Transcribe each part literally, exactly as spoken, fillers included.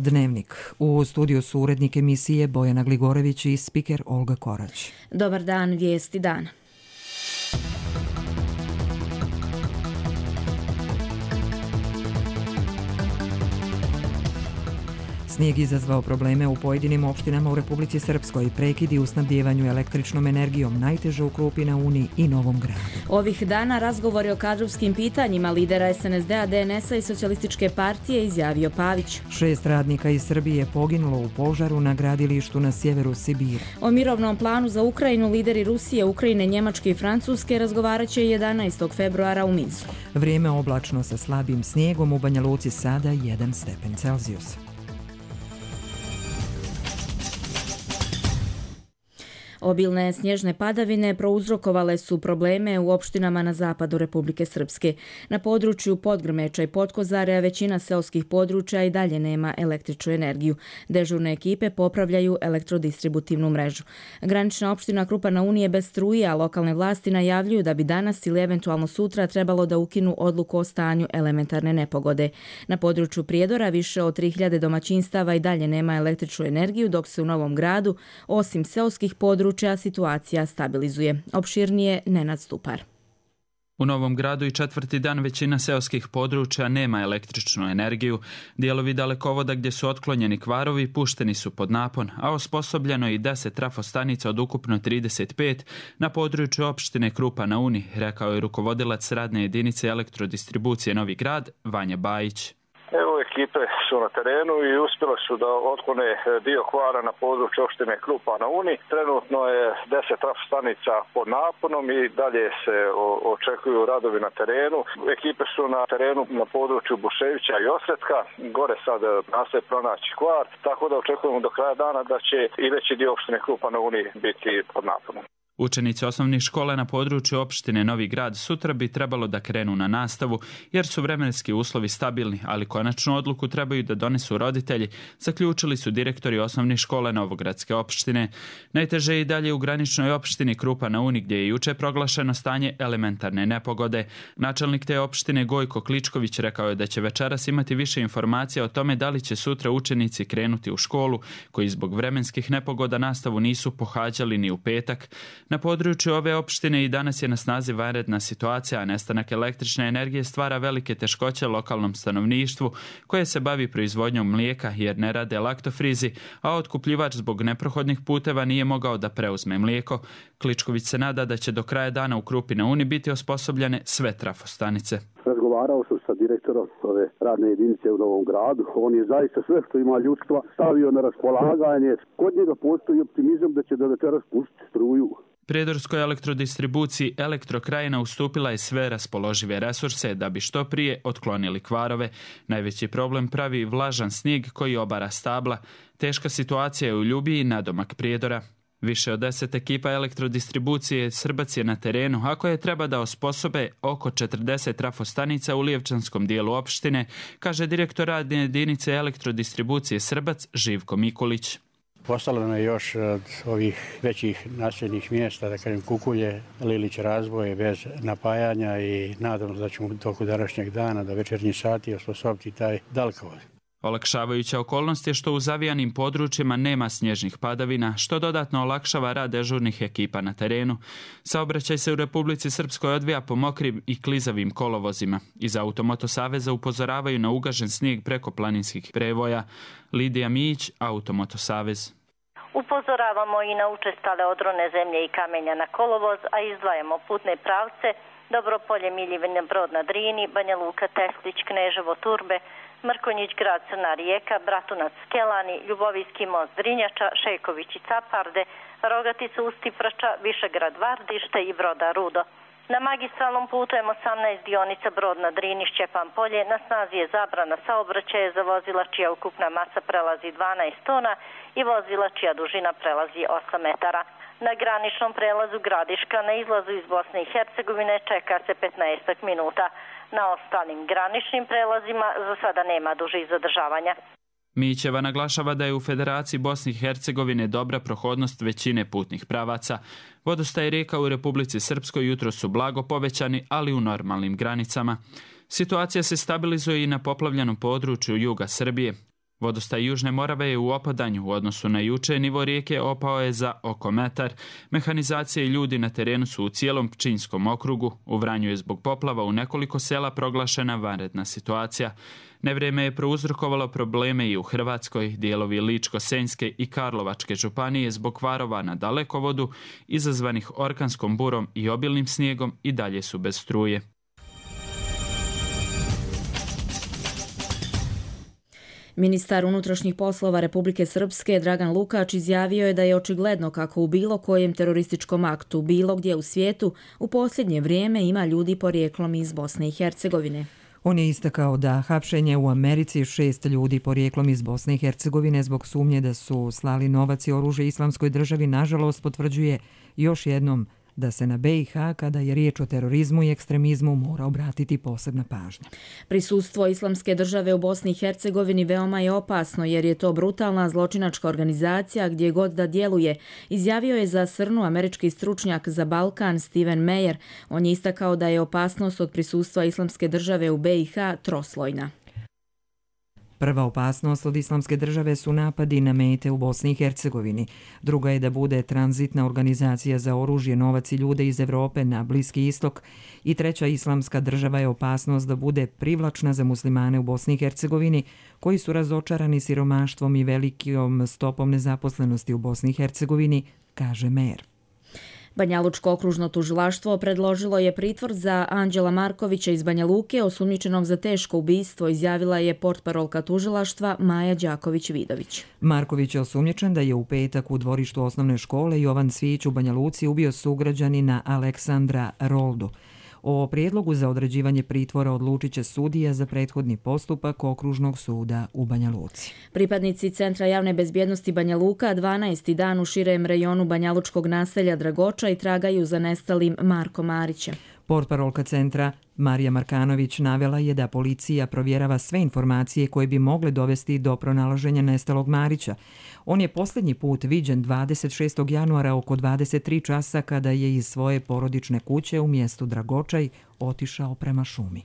Dnevnik. U studiju su urednik emisije Bojana Gligorević i spiker Olga Korać. Dobar dan, vijesti dana. Snijeg izazvao probleme u pojedinim opštinama u Republici Srpskoj, prekidi u snabdjevanju električnom energijom, najteže u Krupi na Uni i Novom Gradu. Ovih dana razgovori o kadrovskim pitanjima lidera S N S D-a, D N S-a i Socijalističke partije, izjavio Pavić. Šest radnika iz Srbije poginulo u požaru na gradilištu na sjeveru Sibira. O mirovnom planu za Ukrajinu lideri Rusije, Ukrajine, Njemačke i Francuske razgovarat će jedanaestog februara u Minsku. Vrijeme oblačno sa slabim snijegom, u Banja Luci sada jedan stepen Celzijusa. Obilne snježne padavine prouzrokovale su probleme u opštinama na zapadu Republike Srpske. Na području Podgrmeča i Potkozarja većina seoskih područja i dalje nema električnu energiju. Dežurne ekipe popravljaju elektrodistributivnu mrežu. Granična opština Krupa na Uni je bez struje, a lokalne vlasti najavljuju da bi danas ili eventualno sutra trebalo da ukinu odluku o stanju elementarne nepogode. Na području Prijedora više od tri hiljade domaćinstava i dalje nema električnu energiju, dok se u Novom Gradu, osim seoskih područja, situacija stabilizuje. Opširnije Nenad Stupar. U Novom Gradu i četvrti dan većina seoskih područja nema električnu energiju. Dijelovi dalekovoda gdje su otklonjeni kvarovi pušteni su pod napon, a osposobljeno je i deset trafostanica od ukupno trideset pet na području opštine Krupa na Uni, rekao je rukovodilac radne jedinice elektrodistribucije Novi Grad, Vanja Bajić. Evo, ekipe su na terenu i uspjeli su da otklone dio kvara na području opštine Krupa na Uni. Trenutno je deset trafostanica pod naponom i dalje se očekuju radovi na terenu. Ekipe su na terenu na području Buševića i Osretka. Gore sad nastoje pronaći kvar, tako da očekujemo do kraja dana da će i veći dio opštine Krupa na Uni biti pod naponom. Učenici osnovnih škola na području opštine Novi Grad sutra bi trebalo da krenu na nastavu jer su vremenski uslovi stabilni, ali konačnu odluku trebaju da donesu roditelji, zaključili su direktori osnovnih škola Novogradske opštine. Najteže je i dalje u graničnoj opštini Krupa na Uni gdje je juče proglašeno stanje elementarne nepogode. Načelnik te opštine Gojko Kličković rekao je da će večeras imati više informacija o tome da li će sutra učenici krenuti u školu koji zbog vremenskih nepogoda nastavu nisu pohađali ni u petak. Na području ove opštine i danas je na snazi vanredna situacija, a nestanak električne energije stvara velike teškoće lokalnom stanovništvu koje se bavi proizvodnjom mlijeka jer ne rade laktofrizi, a otkupljivač zbog neprohodnih puteva nije mogao da preuzme mlijeko. Kličković se nada da će do kraja dana u Krupi na Uni biti osposobljene sve trafostanice. Razgovarao sam sa direktorom ove radne jedinice u Novom Gradu. On je zaista sve što ima ljudstva stavio na raspolaganje. Kod njega postoji optimizam da će do večeras pustiti struju. Prijedorskoj elektrodistribuciji Elektrokrajina ustupila je sve raspoložive resurse da bi što prije otklonili kvarove. Najveći problem pravi vlažan snijeg koji obara stabla. Teška situacija je u Ljubiji nadomak Prijedora. Više od deset ekipa elektrodistribucije Srbac je na terenu, a koje treba da osposobe oko četrdeset trafostanica u lijevčanskom dijelu opštine, kaže direktor radne jedinice elektrodistribucije Srbac Živko Mikulić. Postalo je još od ovih većih naseljenih mjesta, da kažem Kukulje, Lilić, Razboje bez napajanja i nadam se da ćemo u toku današnjeg dana do večernjih sati osposobiti taj dalekovod. Olakšavajuća okolnost je što u zavijanim područjima nema snježnih padavina, što dodatno olakšava rad dežurnih ekipa na terenu. Saobraćaj se u Republici Srpskoj odvija po mokrim i klizavim kolovozima. Iz Automoto Saveza upozoravaju na ugažen snijeg preko planinskih prevoja. Lidija Mijić, Automoto Savez. Upozoravamo i na učestale odrone zemlje i kamenja na kolovoz, a izdvajamo putne pravce Dobropolje, Miljevine, Brod na Drini, Banja Luka, Teslić, Kneževo, Turbe, Mrkonjić, Grad, Crna Rijeka, Bratunac, Skelani, Ljubovijski most, Drinjača, Šejković i Caparde, Rogatica, Ustiprača, Višegrad, Vardište i Broda Rudo. Na magistralnom putu M osamnaest dionica Brod na Drini, Šćepan Polje na snazi je zabrana saobraćaja za vozila čija ukupna masa prelazi dvanaest tona i vozila čija dužina prelazi osam metara. Na graničnom prelazu Gradiška na izlazu iz Bosne i Hercegovine čeka se petnaest minuta. Na ostalim graničnim prelazima za sada nema dužih zadržavanja. Mićeva naglašava da je u Federaciji Bosne i Hercegovine dobra prohodnost većine putnih pravaca. Vodostaj rijeka u Republici Srpskoj jutro su blago povećani, ali u normalnim granicama. Situacija se stabilizuje i na poplavljenom području juga Srbije. Vodostaj Južne Morave je u opadanju. U odnosu na juče nivo rijeke opao je za oko metar. Mehanizacija i ljudi na terenu su u cijelom Pčinjskom okrugu. U Vranju je zbog poplava u nekoliko sela proglašena vanredna situacija. Nevrijeme je prouzrokovalo probleme i u Hrvatskoj. Dijelovi Ličko-senjske i Karlovačke županije zbog kvarova na dalekovodu, izazvanih orkanskom burom i obilnim snijegom, i dalje su bez struje. Ministar unutrašnjih poslova Republike Srpske Dragan Lukač izjavio je da je očigledno kako u bilo kojem terorističkom aktu bilo gdje u svijetu u posljednje vrijeme ima ljudi porijeklom iz Bosne i Hercegovine. On je istakao da hapšenje u Americi šest ljudi porijeklom iz Bosne i Hercegovine zbog sumnje da su slali novac i oružje Islamskoj državi nažalost potvrđuje još jednom da se na be i ha, kada je riječ o terorizmu i ekstremizmu, mora obratiti posebna pažnja. Prisustvo Islamske države u Bosni i Hercegovini veoma je opasno jer je to brutalna zločinačka organizacija gdje god da djeluje, izjavio je za Srnu američki stručnjak za Balkan Steven Meyer. On je istakao da je opasnost od prisustva Islamske države u be i ha troslojna. Prva opasnost od Islamske države su napadi na mete u Bosni i Hercegovini. Druga je da bude tranzitna organizacija za oružje, novac i ljude iz Evrope na Bliski istok. I treća Islamska država je opasnost da bude privlačna za muslimane u Bosni i Hercegovini koji su razočarani siromaštvom i velikom stopom nezaposlenosti u Bosni i Hercegovini, kaže Mejer. Banjalučko okružno tužilaštvo predložilo je pritvor za Anđela Markovića iz Banja Luke, osumnjičenog za teško ubistvo, izjavila je portparolka tužilaštva Maja Đaković-Vidović. Marković je osumnjičen da je u petak u dvorištu osnovne škole Jovan Cvijić u Banja Luci ubio sugrađanina Aleksandra Roldu. O prijedlogu za određivanje pritvora odlučit će sudija za prethodni postupak Okružnog suda u Banja Luci. Pripadnici Centra javne bezbjednosti Banja Luka dvanaesti dan u širem rejonu banjalučkog naselja Dragoča i tragaju za nestalim Markom Marićem. Portparolka centra Marija Markanović navela je da policija provjerava sve informacije koje bi mogle dovesti do pronalaženja nestalog Marića. On je posljednji put viđen dvadeset šestog januara oko dvadeset tri časa kada je iz svoje porodične kuće u mjestu Dragočaj otišao prema šumi.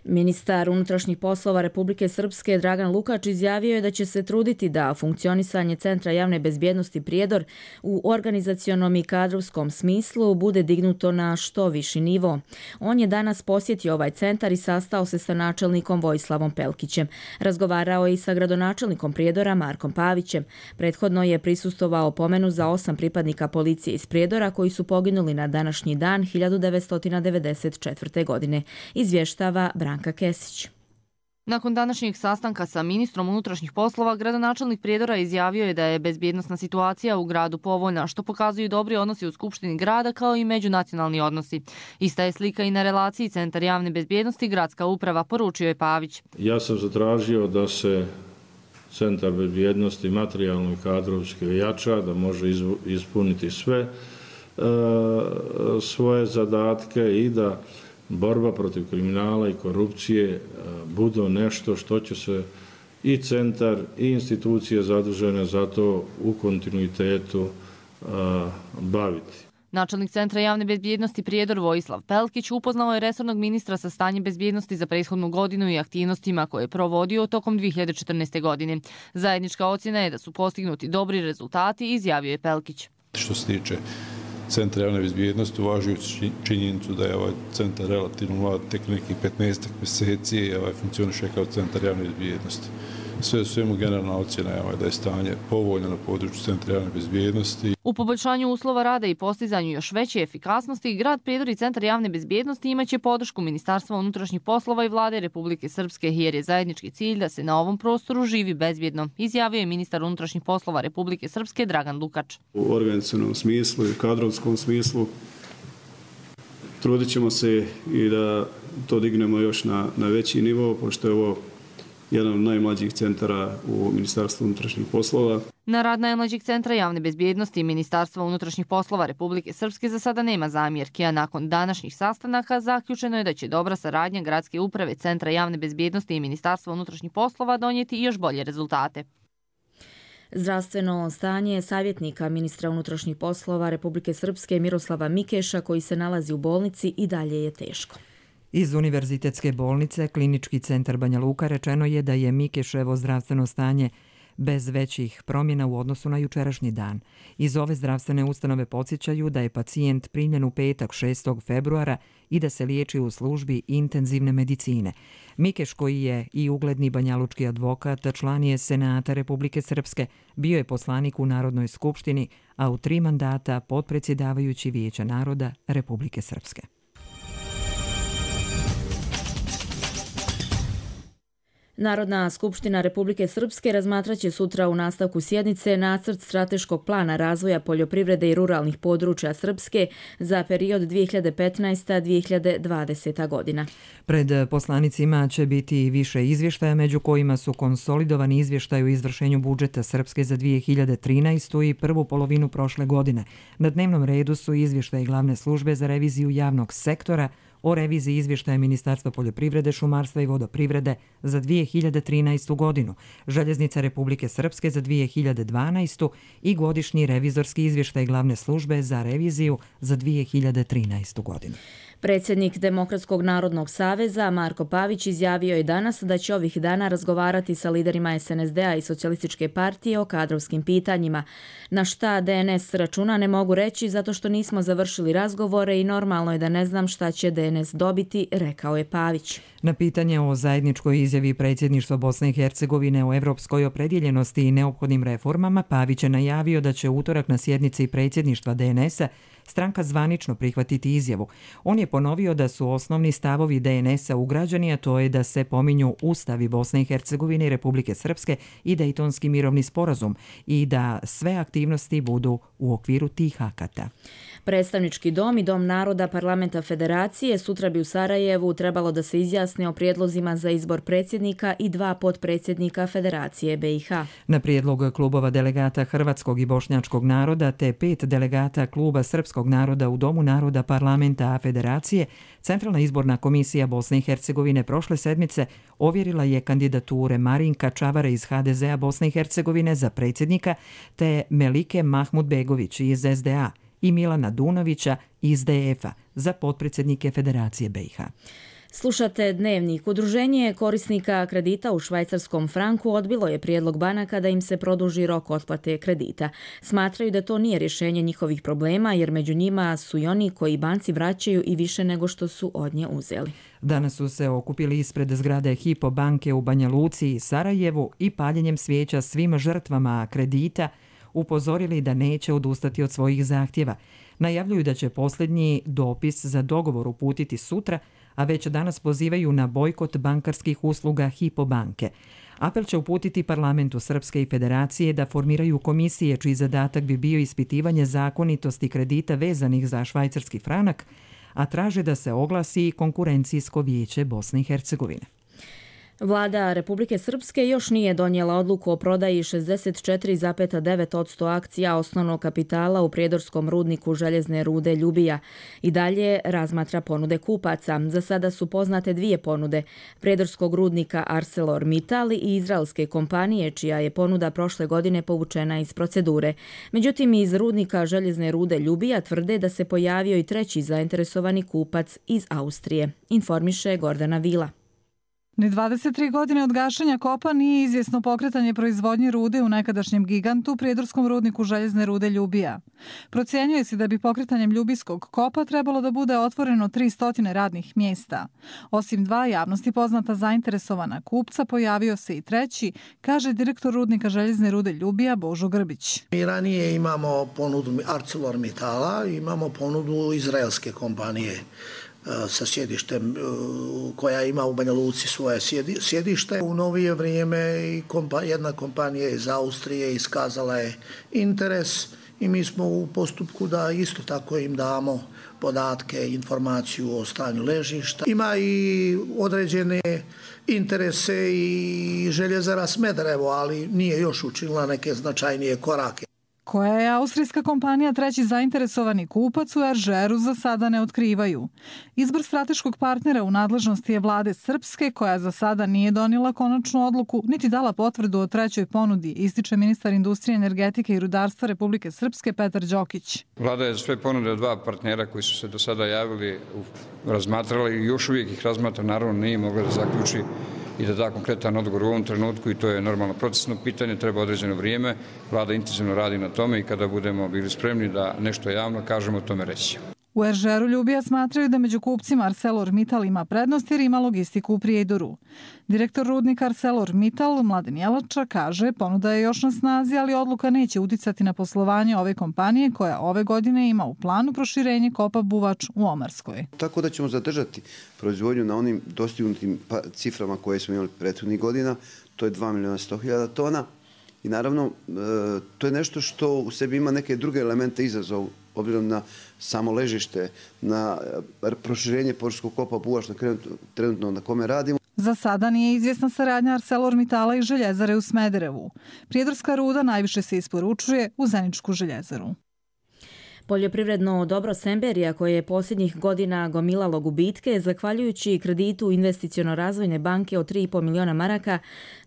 Ministar unutrašnjih poslova Republike Srpske Dragan Lukač izjavio je da će se truditi da funkcionisanje Centra javne bezbjednosti Prijedor u organizacionom i kadrovskom smislu bude dignuto na što viši nivo. On je danas posjetio ovaj centar i sastao se sa načelnikom Vojislavom Pelkićem. Razgovarao je i sa gradonačelnikom Prijedora Markom Pavićem. Prethodno je prisustvovao pomenu za osam pripadnika policije iz Prijedora koji su poginuli na današnji dan hiljadu devetsto devedeset četvrte. godine. Izvještava Branka Kesić. Nakon današnjeg sastanka sa ministrom unutrašnjih poslova, gradonačelnik Prijedora izjavio je da je bezbjednosna situacija u gradu povoljna, što pokazuju dobri odnosi u Skupštini grada kao i međunacionalni odnosi. Ista je slika i na relaciji Centar javne bezbjednosti Gradska uprava, poručio je Pavić. Ja sam zatražio da se Centar bezbjednosti materijalno i kadrovski ojača, da može ispuniti sve e, svoje zadatke i da borba protiv kriminala i korupcije budu nešto što će se i centar i institucije zadužene za to u kontinuitetu baviti. Načelnik Centra javne bezbjednosti Prijedor Vojislav Pelkić upoznao je resornog ministra sa stanjem bezbjednosti za prethodnu godinu i aktivnostima koje je provodio tokom dvije hiljade četrnaeste. godine. Zajednička ocjena je da su postignuti dobri rezultati, izjavio je Pelkić. Što se tiče Centra javne bezbjednosti, uvažujući činjenicu da je ovaj centar relativno mlad, tek nekih petnaest mjeseci i ovaj funkcioniše kao Centar javne bezbjednosti. Sve u svemu generalna ocjena je ovaj da je stanje povoljno na području Centra javne bezbjednosti. U poboljšanju uslova rada i postizanju još veće efikasnosti, grad Prijedor i Centar javne bezbjednosti imaće podršku Ministarstva unutrašnjih poslova i vlade Republike Srpske, jer je zajednički cilj da se na ovom prostoru živi bezbjedno, izjavio je ministar unutrašnjih poslova Republike Srpske Dragan Lukač. U organizacionom smislu i kadrovskom smislu trudit ćemo se i da to dignemo još na, na veći nivo, pošto je ovo jedan od najmlađih centara u Ministarstvu unutrašnjih poslova. Na rad najmlađeg Centra javne bezbjednosti i Ministarstva unutrašnjih poslova Republike Srpske za sada nema zamjerki, a nakon današnjih sastanaka zaključeno je da će dobra saradnja Gradske uprave, Centra javne bezbjednosti i Ministarstva unutrašnjih poslova donijeti još bolje rezultate. Zdravstveno stanje savjetnika ministra unutrašnjih poslova Republike Srpske Miroslava Mikeša, koji se nalazi u bolnici, i dalje je teško. Iz Univerzitetske bolnice Klinički centar Banja Luka rečeno je da je Mikeševo zdravstveno stanje bez većih promjena u odnosu na jučerašnji dan. Iz ove zdravstvene ustanove podsjećaju da je pacijent primljen u petak šestog februara i da se liječi u službi intenzivne medicine. Mikeš, koji je i ugledni banjalučki advokat, član je Senata Republike Srpske, bio je poslanik u Narodnoj skupštini, a u tri mandata potpredsjedavajući Vijeća naroda Republike Srpske. Narodna skupština Republike Srpske razmatraće sutra u nastavku sjednice nacrt strateškog plana razvoja poljoprivrede i ruralnih područja Srpske za period dvije hiljade petnaesta do dvije hiljade dvadesete. godina. Pred poslanicima će biti više izvještaja, među kojima su konsolidovani izvještaj o izvršenju budžeta Srpske za dvije hiljade trinaestu. i prvu polovinu prošle godine. Na dnevnom redu su izvještaj Glavne službe za reviziju javnog sektora o reviziji izvještaja Ministarstva poljoprivrede, šumarstva i vodoprivrede za dvije hiljade trinaestu. godinu, Željeznica Republike Srpske za dvije hiljade dvanaestu. i godišnji revizorski izvještaj Glavne službe za reviziju za dvije hiljade trinaestu. godinu. Predsjednik Demokratskog narodnog saveza Marko Pavić izjavio je danas da će ovih dana razgovarati sa liderima es en es de a i Socijalističke partije o kadrovskim pitanjima. Na šta de en es računa ne mogu reći zato što nismo završili razgovore i normalno je da ne znam šta će de en es dobiti, rekao je Pavić. Na pitanje o zajedničkoj izjavi predsjedništva Bosne i Hercegovine o evropskoj opredjeljenosti i neophodnim reformama, Pavić je najavio da će utorak na sjednici predsjedništva de en es-a stranka zvanično prihvatiti izjavu. On je ponovio da su osnovni stavovi de en es-a ugrađeni, a to je da se pominju ustavi Bosne i Hercegovine i Republike Srpske i Dejtonski mirovni sporazum i da sve aktivnosti budu u okviru tih akata. Predstavnički dom i Dom naroda Parlamenta Federacije sutra bi u Sarajevu trebalo da se izjasne o prijedlozima za izbor predsjednika i dva potpredsjednika Federacije be i ha. Na prijedlog klubova delegata Hrvatskog i Bošnjačkog naroda te pet delegata kluba Srpskog naroda u Domu naroda Parlamenta Federacije, Centralna izborna komisija Bosne i Hercegovine prošle sedmice ovjerila je kandidature Marinka Čavara iz ha de ze-a Bosne i Hercegovine za predsjednika te Melike Mahmudbegović iz es de a i Milana Dunovića iz de ef-a za potpredsjednike Federacije be i ha. Slušate Dnevnik. Udruženje korisnika kredita u švajcarskom franku odbilo je prijedlog banaka da im se produži rok otplate kredita. Smatraju da to nije rješenje njihovih problema jer među njima su i oni koji banci vraćaju i više nego što su od nje uzeli. Danas su se okupili ispred zgrade Hypo banke u Banja Luci i Sarajevu i paljenjem svijeća svim žrtvama kredita upozorili da neće odustati od svojih zahtjeva. Najavljuju da će posljednji dopis za dogovor uputiti sutra, a već danas pozivaju na bojkot bankarskih usluga Hypo banke. Apel će uputiti Parlamentu Srpske i Federacije da formiraju komisije čiji zadatak bi bio ispitivanje zakonitosti kredita vezanih za švajcarski franak, a traže da se oglasi konkurencijsko vijeće Bosne i Hercegovine. Vlada Republike Srpske još nije donijela odluku o prodaji šezdeset četiri zarez devet posto akcija osnovnog kapitala u prijedorskom rudniku željezne rude Ljubija. I dalje razmatra ponude kupaca. Za sada su poznate dvije ponude, prijedorskog rudnika ArcelorMittal i izraelske kompanije, čija je ponuda prošle godine povučena iz procedure. Međutim, iz rudnika željezne rude Ljubija tvrde da se pojavio i treći zainteresovani kupac iz Austrije, informiše Gordana Vila. Ni dvadeset tri godine od gašenja kopa nije izvjesno pokretanje proizvodnje rude u nekadašnjem gigantu prijedorskom rudniku željezne rude Ljubija. Procjenjuje se da bi pokretanjem ljubijskog kopa trebalo da bude otvoreno tristo radnih mjesta. Osim dva javnosti poznata zainteresovana kupca, pojavio se i treći, kaže direktor rudnika željezne rude Ljubija Božo Grbić. Mi ranije imamo ponudu ArcelorMittala, imamo ponudu izraelske kompanije sa sjedištem koja ima u Banja Luci svoje sjedište. U novije vrijeme jedna kompanija iz Austrije iskazala je interes i mi smo u postupku da isto tako im damo podatke, informaciju o stanju ležišta. Ima i određene interese i Željezara Smederevo, ali nije još učinila neke značajnije korake. Koja je austrijska kompanija treći zainteresovani kupac u Eržeru za sada ne otkrivaju. Izbor strateškog partnera u nadležnosti je vlade Srpske, koja za sada nije donijela konačnu odluku, niti dala potvrdu o trećoj ponudi, ističe ministar industrije, energetike i rudarstva Republike Srpske Petar Đokić. Vlada je sve ponude od dva partnera koji su se do sada javili, razmatrali i još uvijek ih razmatra, naravno nije mogla da zaključi i da da konkretan odgovor u ovom trenutku i to je normalno procesno pitanje, treba određeno vrijeme. Vlada intenzivno radi na tome i kada budemo bili spremni da nešto javno kažemo, o tome reći. U Eržeru Ljubija smatraju da među kupcima ArcelorMittal ima prednost jer ima logistiku u Prijedoru. Direktor rudnika ArcelorMittal Mladen Jelača kaže ponuda je još na snazi, ali odluka neće uticati na poslovanje ove kompanije koja ove godine ima u planu proširenje kopa Buvač u Omarskoj. Tako da ćemo zadržati proizvodnju na onim dostignutim ciframa koje smo imali prethodnih godina, to je dva miliona sto hiljada tona i naravno to je nešto što u sebi ima neke druge elemente izazova obzirom na samo ležište, na proširenje površinskog kopa Buvač trenutno na kome radimo. Za sada nije izvjesna saradnja ArcelorMittala i željezare u Smederevu. Prijedorska ruda najviše se isporučuje u Zeničku željezaru. Poljoprivredno dobro Semberija, koje je posljednjih godina gomilalo gubitke, zahvaljujući kreditu Investiciono-razvojne banke od tri i pol miliona maraka,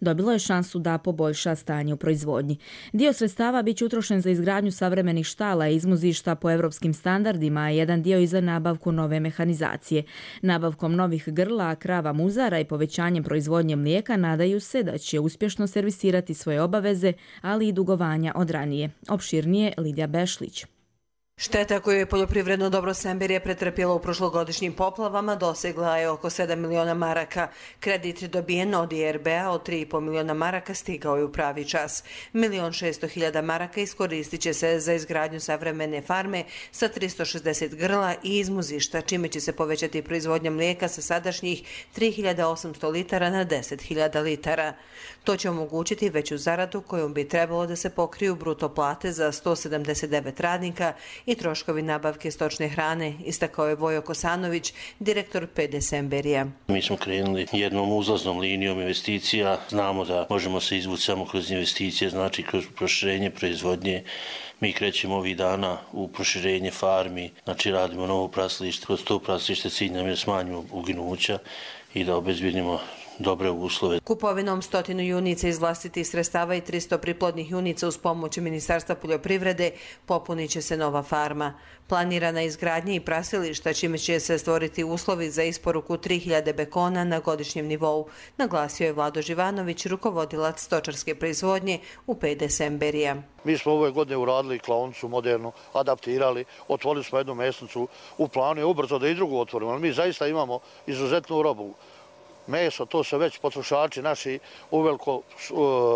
dobilo je šansu da poboljša stanje u proizvodnji. Dio sredstava bit će utrošen za izgradnju savremenih štala i izmuzišta po evropskim standardima, a jedan dio i za nabavku nove mehanizacije. Nabavkom novih grla, krava muzara i povećanjem proizvodnje mlijeka nadaju se da će uspješno servisirati svoje obaveze, ali i dugovanja od ranije. Opširnije Lidija Bešlić. Šteta koju je poljoprivredno dobro Semberija pretrpjela u prošlogodišnjim poplavama dosegla je oko sedam miliona maraka. Kredit dobijen od I R B-a od tri i pol miliona maraka stigao je u pravi čas. Milion šesto hiljada maraka iskoristit će se za izgradnju savremene farme sa tristo šezdeset grla i izmuzišta, čime će se povećati proizvodnja mlijeka sa sadašnjih tri hiljade osamsto litara na deset hiljada litara. To će omogućiti veću zaradu kojom bi trebalo da se pokriju bruto plate za sto sedamdeset devet radnika i troškovi nabavke stočne hrane, istakao je Vojo Kosanović, direktor P D Semberija. Mi smo krenuli jednom uzlaznom linijom investicija. Znamo da možemo se izvući samo kroz investicije, znači kroz proširenje proizvodnje. Mi krećemo ovih dana u proširenje farmi, znači radimo novo praslište. Kroz to praslište cilj nam je smanjimo uginuća i da obezbijedimo dobre uslove. Kupovinom stotinu junica iz vlastitih sredstava i tristo priplodnih junica uz pomoć Ministarstva poljoprivrede popunit će se nova farma. Planirana izgradnja i prasilišta, čime će se stvoriti uslovi za isporuku tri hiljade bekona na godišnjem nivou, naglasio je Vlado Živanović, rukovodilac stočarske proizvodnje u P D Semberija. Mi smo ove godine uradili klaonicu modernu, adaptirali, otvorili smo jednu mesnicu, u planu je ubrzo da i drugu otvorimo, ali mi zaista imamo izuzetnu robu. Meso, to se već potrošači naši uveliko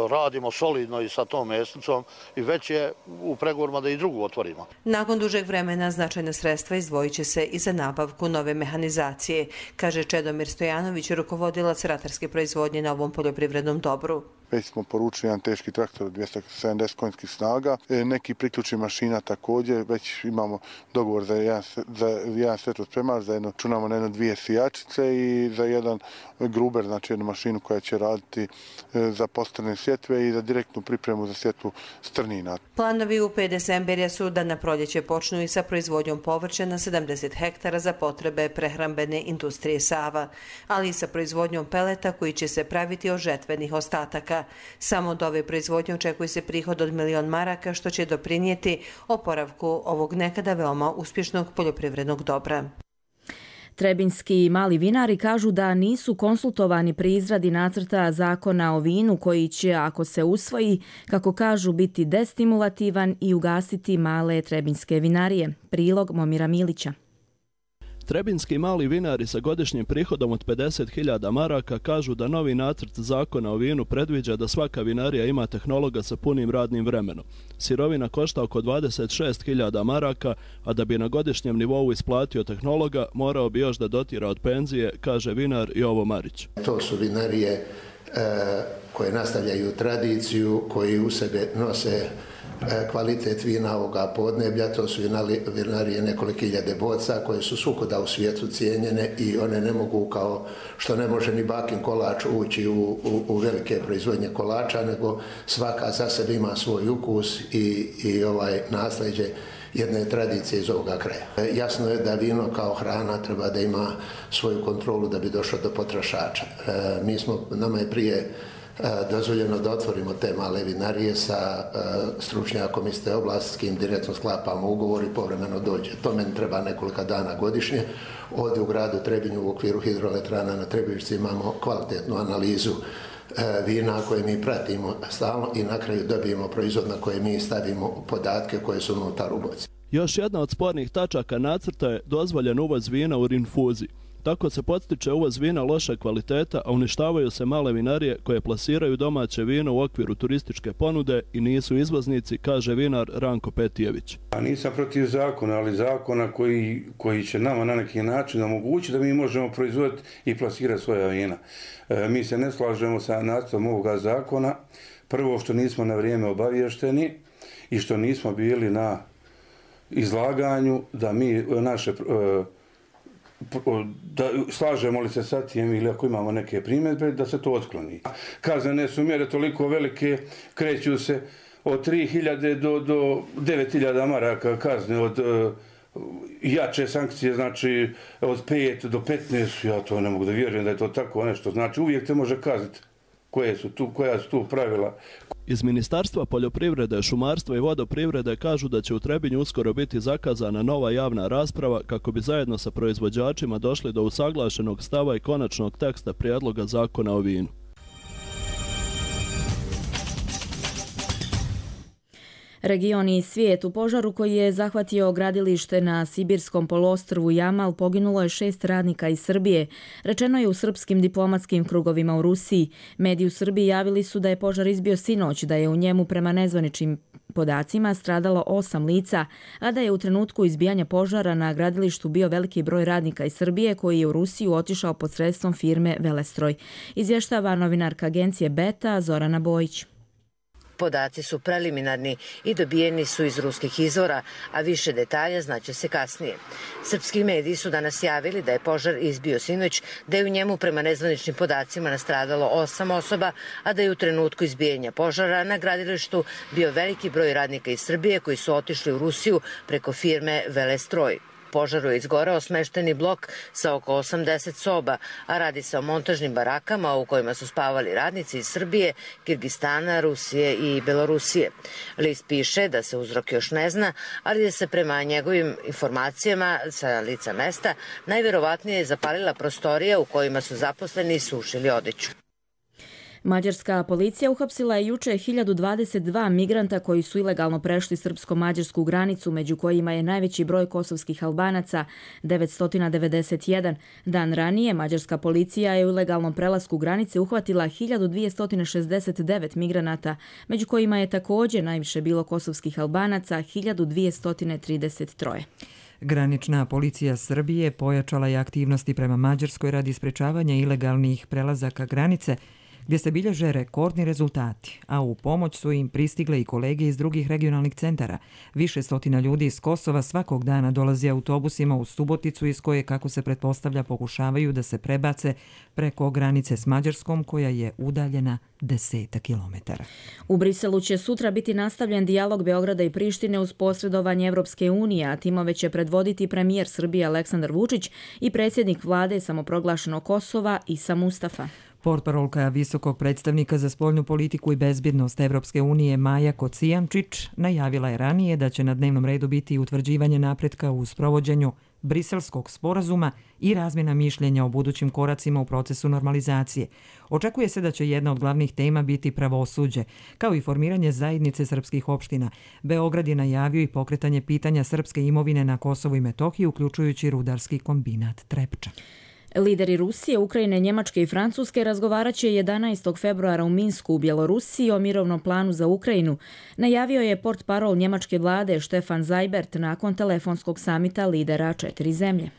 radimo solidno i sa tom mesnicom i već je u pregovorima da i drugu otvorimo. Nakon dužeg vremena značajna sredstva izdvojit će se i za nabavku nove mehanizacije, kaže Čedomir Stojanović, rukovodilac ratarske proizvodnje na ovom poljoprivrednom dobru. Već smo poručili jedan teški traktor od dvjesto sedamdeset konjskih snaga. Neki priključni mašina također, već imamo dogovor za jedan, za jedan svetlospremač, za jedno, čunamo na jedno dvije sijačice i za jedan gruber, znači jednu mašinu koja će raditi za postrne sjetve i za direktnu pripremu za sjetvu strnina. Planovi u P D Semberija su da na proljeće počnu i sa proizvodnjom povrća na sedamdeset hektara za potrebe prehrambene industrije Sava, ali i sa proizvodnjom peleta koji će se praviti od žetvenih ostataka. Samo od ove proizvodnje očekuje se prihod od milion maraka, što će doprinijeti oporavku ovog nekada veoma uspješnog poljoprivrednog dobra. Trebinski mali vinari kažu da nisu konsultovani pri izradi nacrta zakona o vinu koji će, ako se usvoji, kako kažu, biti destimulativan i ugasiti male trebinske vinarije. Prilog Momira Milića. Trebinski mali vinari sa godišnjim prihodom od pedeset hiljada maraka kažu da novi nacrt zakona o vinu predviđa da svaka vinarija ima tehnologa sa punim radnim vremenom. Sirovina košta oko dvadeset šest hiljada maraka, a da bi na godišnjem nivou isplatio tehnologa, morao bi još da dotira od penzije, kaže vinar Jovo Marić. To su vinarije e, koje nastavljaju tradiciju, koji u sebe nose Kvalitet vina ovoga podneblja, to su vinarije nekoliko hiljade boca koje su svukuda u svijetu cijenjene i one ne mogu, kao što ne može ni bakin kolač ući u, u, u velike proizvodnje kolača, nego svaka za sebe ima svoj ukus i, i ovaj nasljeđe jedne tradicije iz ovoga kraja. Jasno je da vino kao hrana treba da ima svoju kontrolu da bi došlo do potrošača. Mi smo, nama je prije dozvoljeno da otvorimo te male vinarije sa stručnjakom iz te oblasti, s kim direktno sklapamo ugovor i povremeno dođe. To meni treba nekoliko dana godišnje. Ovdje u gradu Trebinju u okviru hidroelektrana na Trebišci imamo kvalitetnu analizu vina koje mi pratimo stalno i na kraju dobijemo proizvod na koje mi stavimo podatke koje su unutar u boci. Još jedna od spornih tačaka nacrta je dozvoljen uvoz vina u rinfuzi. Tako se podstiče uvoz vina loše kvaliteta, a uništavaju se male vinarije koje plasiraju domaće vino u okviru turističke ponude i nisu izvoznici, kaže vinar Ranko Petijević. A nisam protiv zakona, ali zakona koji, koji će nama na neki način omogućiti da mi možemo proizvoditi i plasirati svoja vina. E, mi se ne slažemo sa nacrtom ovoga zakona. Prvo što nismo na vrijeme obavješteni i što nismo bili na izlaganju da mi naše... E, da slažemo li se sa tim ili ako imamo neke primjedbe, da se to otkloni. Kaznene su mjere toliko velike, kreću se od tri hiljade do, do devet hiljada maraka kazne, od uh, jače sankcije, znači od pet do petnaest, ja to ne mogu da vjerujem da je to tako nešto, znači uvijek te može kazniti koje su tu, koja su tu pravila. Iz Ministarstva poljoprivrede, šumarstva i vodoprivrede kažu da će u Trebinju uskoro biti zakazana nova javna rasprava kako bi zajedno sa proizvođačima došli do usaglašenog stava i konačnog teksta prijedloga zakona o vinu. Region i svijet. U požaru koji je zahvatio gradilište na Sibirskom poluostrvu Jamal poginulo je šest radnika iz Srbije. Rečeno je u srpskim diplomatskim krugovima u Rusiji. Mediji u Srbiji javili su da je požar izbio sinoć, da je u njemu prema nezvaničnim podacima stradalo osam lica, a da je u trenutku izbijanja požara na gradilištu bio veliki broj radnika iz Srbije koji je u Rusiju otišao pod sredstvom firme Velestroj. Izvještava novinarka agencije Beta Zorana Bojić. Podaci su preliminarni i dobijeni su iz ruskih izvora, a više detalja znaće se kasnije. Srpski mediji su danas javili da je požar izbio sinoć, da je u njemu prema nezvaničnim podacima nastradalo osam osoba, a da je u trenutku izbijanja požara na gradilištu bio veliki broj radnika iz Srbije koji su otišli u Rusiju preko firme Velestroj. Požaru je izgoreo smešteni blok sa oko osamdeset soba, a radi se o montažnim barakama u kojima su spavali radnici iz Srbije, Kirgistana, Rusije i Belorusije. List piše da se uzrok još ne zna, ali da se prema njegovim informacijama sa lica mesta najverovatnije zapalila prostorija u kojima su zaposleni sušili odeću. Mađarska policija uhapsila je juče hiljadu dvadeset dva migranta koji su ilegalno prešli srpsko-mađarsku granicu, među kojima je najveći broj kosovskih Albanaca, devetsto devedeset jedan. Dan ranije mađarska policija je u ilegalnom prelasku granice uhvatila hiljadu dvjesto šezdeset devet migranata, među kojima je također najviše bilo kosovskih Albanaca, hiljadu dvjesto trideset tri. Granična policija Srbije pojačala je aktivnosti prema Mađarskoj radi sprečavanja ilegalnih prelazaka granice, gdje se bilježe rekordni rezultati, a u pomoć su im pristigle i kolege iz drugih regionalnih centara. Više stotina ljudi iz Kosova svakog dana dolazi autobusima u Suboticu iz koje, kako se pretpostavlja, pokušavaju da se prebace preko granice s Mađarskom, koja je udaljena desetak kilometara. U Briselu će sutra biti nastavljen dijalog Beograda i Prištine uz posredovanje Evropske unije, a timove će predvoditi premijer Srbije Aleksandar Vučić i predsjednik vlade samoproglašenog Kosova Isa Mustafa. Portparolka visokog predstavnika za spoljnu politiku i bezbjednost Evropske unije Maja Kocijančić najavila je ranije da će na dnevnom redu biti utvrđivanje napretka u sprovođenju Briselskog sporazuma i razmjena mišljenja o budućim koracima u procesu normalizacije. Očekuje se da će jedna od glavnih tema biti pravosuđe, kao i formiranje zajednice srpskih opština. Beograd je najavio i pokretanje pitanja srpske imovine na Kosovu i Metohiji, uključujući rudarski kombinat Trepča. Lideri Rusije, Ukrajine, Njemačke i Francuske razgovarat će jedanaestog februara u Minsku u Bjelorusiji o mirovnom planu za Ukrajinu, najavio je portparol njemačke vlade Stefan Seibert nakon telefonskog samita lidera četiri zemlje.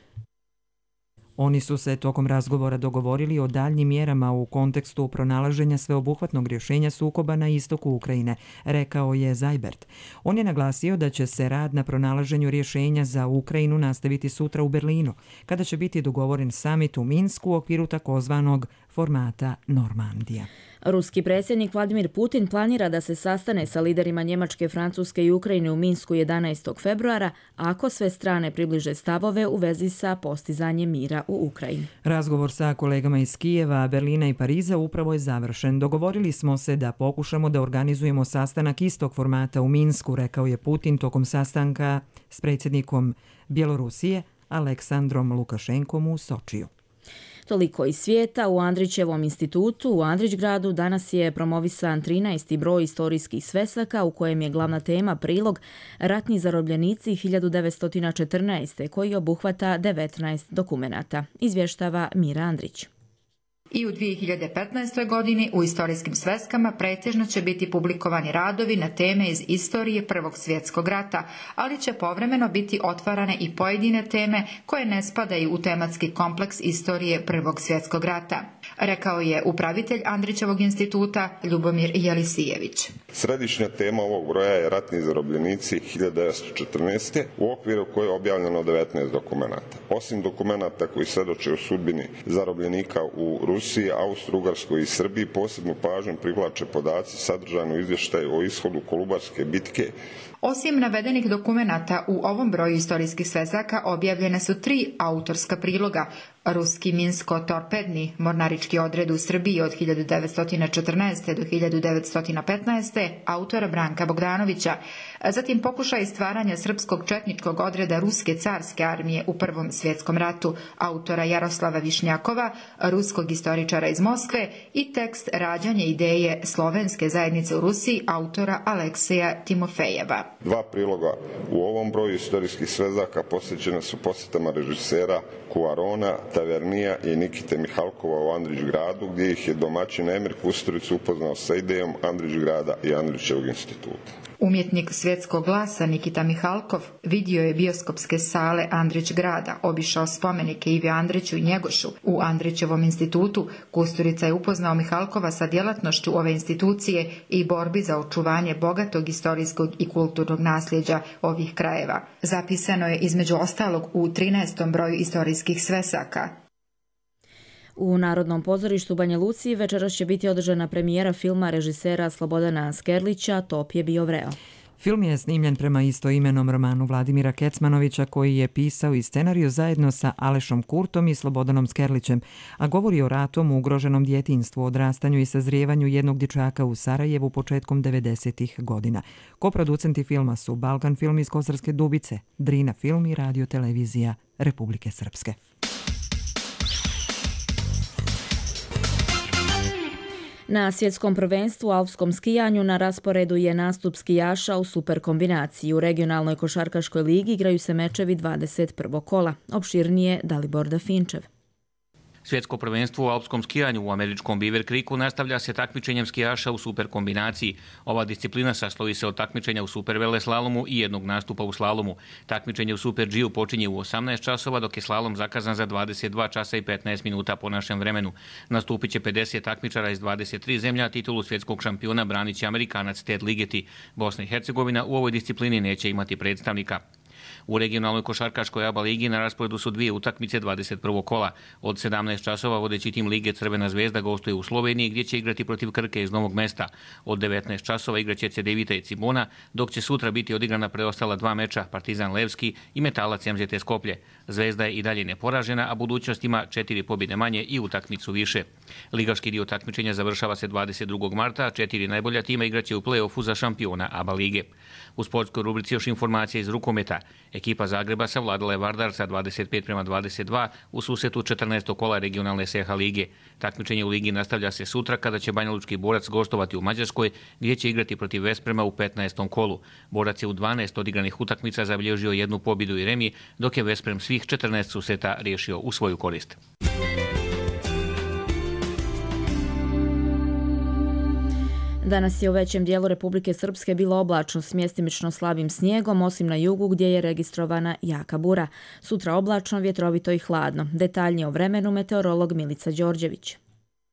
Oni su se tokom razgovora dogovorili o daljnjim mjerama u kontekstu pronalaženja sveobuhvatnog rješenja sukoba na istoku Ukrajine, rekao je Zajbert. On je naglasio da će se rad na pronalaženju rješenja za Ukrajinu nastaviti sutra u Berlinu, kada će biti dogovoren samit u Minsku u okviru takozvanog formata Normandija. Ruski predsjednik Vladimir Putin planira da se sastane sa liderima Njemačke, Francuske i Ukrajine u Minsku jedanaestog februara ako sve strane približe stavove u vezi sa postizanjem mira u Ukrajini. Razgovor sa kolegama iz Kijeva, Berlina i Pariza upravo je završen. Dogovorili smo se da pokušamo da organizujemo sastanak istog formata u Minsku, rekao je Putin tokom sastanka s predsjednikom Bjelorusije Aleksandrom Lukašenkom u Sočiju. Toliko iz svijeta. U Andrićevom institutu u Andrićgradu danas je promovisan trinaesti broj istorijskih svesaka u kojem je glavna tema prilog Ratni zarobljenici hiljadu devetsto četrnaeste. koji obuhvata devetnaest dokumenata. Izvještava Mira Andrić. I u dvije hiljade petnaestoj. godini u istorijskim sveskama pretežno će biti publikovani radovi na teme iz istorije Prvog svjetskog rata, ali će povremeno biti otvarane i pojedine teme koje ne spadaju u tematski kompleks istorije Prvog svjetskog rata, rekao je upravitelj Andrićevog instituta Ljubomir Jelisijević. Središnja tema ovog broja je Ratni zarobljenici hiljadu devetsto četrnaeste. u okviru koje je objavljeno devetnaest dokumenata. Osim dokumenata koji svjedoče o sudbini zarobljenika u Rusiji, Rusiji, Austro-Ugarskoj i Srbiji posebnu pažnju privlače podaci sadržani u izvještaju o ishodu Kolubarske bitke. Osim navedenih dokumenata, u ovom broju istorijskih svezaka objavljene su tri autorska priloga. Ruski minsko-torpedni mornarički odred u Srbiji od hiljadu devetsto četrnaeste. do hiljadu devetsto petnaeste. autora Branka Bogdanovića, zatim pokušaj stvaranja srpskog četničkog odreda Ruske carske armije u Prvom svjetskom ratu, autora Jaroslava Višnjakova, ruskog istoričara iz Moskve, i tekst Rađanje ideje slovenske zajednice u Rusiji, autora Alekseja Timofejeva. Dva priloga u ovom broju istorijskih svezaka posvećene su posjetama režisera Cuarona, Tavernija i Nikite Mihalkova u Andrićgradu, gdje ih je domaćin Emir Kusturić upoznao sa idejom Andrićgrada i Andrićevog instituta. Umjetnik svjetskog glasa Nikita Mihalkov vidio je bioskopske sale Andrićgrada, obišao spomenike Ivi Andriću i Njegošu u Andrićevom institutu. Kusturica je upoznao Mihalkova sa djelatnošću ove institucije i borbi za očuvanje bogatog istorijskog i kulturnog nasljeđa ovih krajeva. Zapisano je između ostalog u trinaestom broju istorijskih svesaka. U Narodnom pozorištu Banja Luci večeras će biti održana premijera filma režisera Slobodana Skerlića Top je bio vreo. Film je snimljen prema istoimenom romanu Vladimira Kecmanovića, koji je pisao i scenariju zajedno sa Alešom Kurtom i Slobodanom Skerlićem, a govori o ratom, ugroženom djetinjstvu, odrastanju i sazrijevanju jednog dječaka u Sarajevu početkom devedesetih godina. Koproducenti filma su Balkan film iz Kosarske Dubice, Drina film i Radio televizija Republike Srpske. Na svjetskom prvenstvu u alpskom skijanju na rasporedu je nastup skijaša u superkombinaciji. U regionalnoj košarkaškoj ligi igraju se mečevi dvadeset prvog kola. Opširnije Dalibor Dafinčev. Svjetsko prvenstvo u alpskom skijanju u američkom Beaver Creeku nastavlja se takmičenjem skijaša u superkombinaciji. Ova disciplina sastoji se od takmičenja u superveleslalomu i jednog nastupa u slalomu. Takmičenje u Super G-u počinje u osamnaest časova, dok je slalom zakazan za dvadeset dva časa i petnaest minuta po našem vremenu. Nastupit će pedeset takmičara iz dvadeset tri zemlja, a titulu svjetskog šampiona branit će Amerikanac Ted Ligeti. Bosna i Hercegovina u ovoj disciplini neće imati predstavnika. U regionalnoj košarkaškoj A B A ligi na rasporedu su dvije utakmice dvadeset prvog kola. Od sedamnaest časova vodeći tim lige Crvena zvezda gostuje u Sloveniji, gdje će igrati protiv Krke iz Novog Mesta. Od devetnaest časova igraće Cedevita i Cibona, dok će sutra biti odigrana preostala dva meča, Partizan Levski i Metalac M Z T Skoplje. Zvezda je i dalje neporažena, a budućnost ima četiri pobjede manje i utakmicu više. Ligaški dio takmičenja završava se dvadeset drugog marta, a četiri najbolja tima igraće u play-offu za šampiona A B A lige. U sportskoj rubrici još informacija iz rukometa. Ekipa Zagreba savladala je Vardar sa dvadeset pet prema dvadeset dva u susretu četrnaestog kola regionalne S H lige. Takmičenje u ligi nastavlja se sutra kada će banjalučki Borac gostovati u Mađarskoj, gdje će igrati protiv Vesprema u petnaestom kolu. Borac je u dvanaest odigranih utakmica zabilježio jednu pobjedu i remi, dok je Vesprem svih četrnaest susreta riješio u svoju korist. Danas je u većem dijelu Republike Srpske bilo oblačno s mjestimično slabim snijegom, osim na jugu gdje je registrovana jaka bura. Sutra oblačno, vjetrovito i hladno. Detaljnije o vremenu meteorolog Milica Đorđević.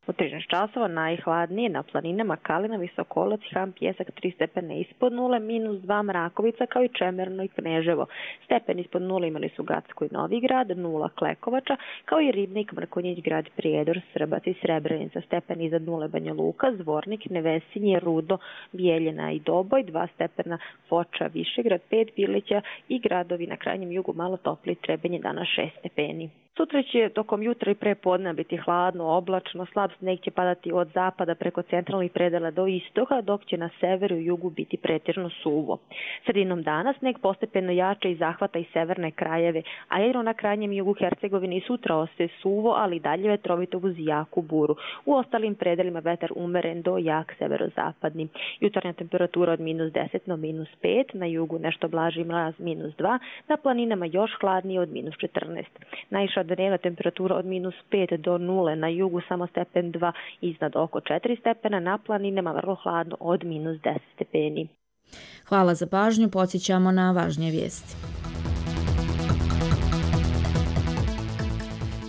U trinaest časova najhladnije na planinama Kalina, Visokolac, Han, Pjesak tri stepene ispod nule, minus dva Mrakovica kao i Čemerno i Kneževo. Stepen ispod nule imali su Gacko i Novigrad, nula Klekovača, kao i Ribnik, Mrkonjić, Grad Prijedor, Srbac i Srebrenica. Stepen iznad nule Banja Luka, Zvornik, Nevesinje, Rudo, Bijeljina i Doboj, dva stepena Foča, Višegrad, pet Bilića i gradovi na krajnjem jugu malo topli, Trebinje danas šest stepeni. Sutra će tokom jutra i pre podne biti hladno, oblačno, slab sneg će padati od zapada preko centralnih predela do istoka, dok će na severu i jugu biti pretežno suvo. Sredinom dana sneg postepeno jača i zahvata i severne krajeve, a jedino na krajnjem jugu Hercegovine i sutra ostaje suvo, ali i dalje vetrovito uz jaku buru. U ostalim predelima vetar umeren do jak severozapadni. Jutarnja temperatura od minus deset do minus pet, na jugu nešto blaži mraz minus dva, na planinama još hladnije od minus četrnaest. Najviša dnevna temperatura od minus pet do nule, na jugu samo stepen dva, iznad oko četiri stepena, na planinama vrlo hladno od minus deset stepeni. Hvala za pažnju, podsjećamo na važnije vijesti.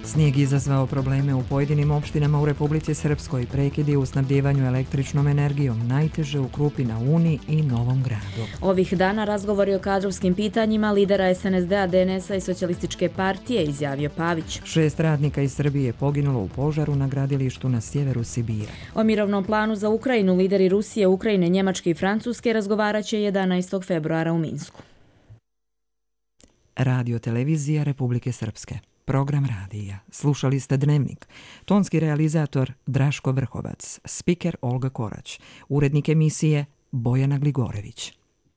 Snijeg izazvao probleme u pojedinim opštinama u Republici Srpskoj, prekidi u snabdjevanju električnom energijom, najteže u Krupi na Uni i Novom Gradu. Ovih dana razgovori o kadrovskim pitanjima lidera es en es de a, de en es a i Socijalističke partije, izjavio Pavić. Šest radnika iz Srbije poginulo u požaru na gradilištu na sjeveru Sibira. O mirovnom planu za Ukrajinu lideri Rusije, Ukrajine, Njemačke i Francuske razgovarat će jedanaestog februara u Minsku. Radio televizija Republike Srpske. Program radija. Slušali ste Dnevnik. Tonski realizator Draško Vrhovac. Spiker Olga Korać. Urednik emisije Bojana Gligorević.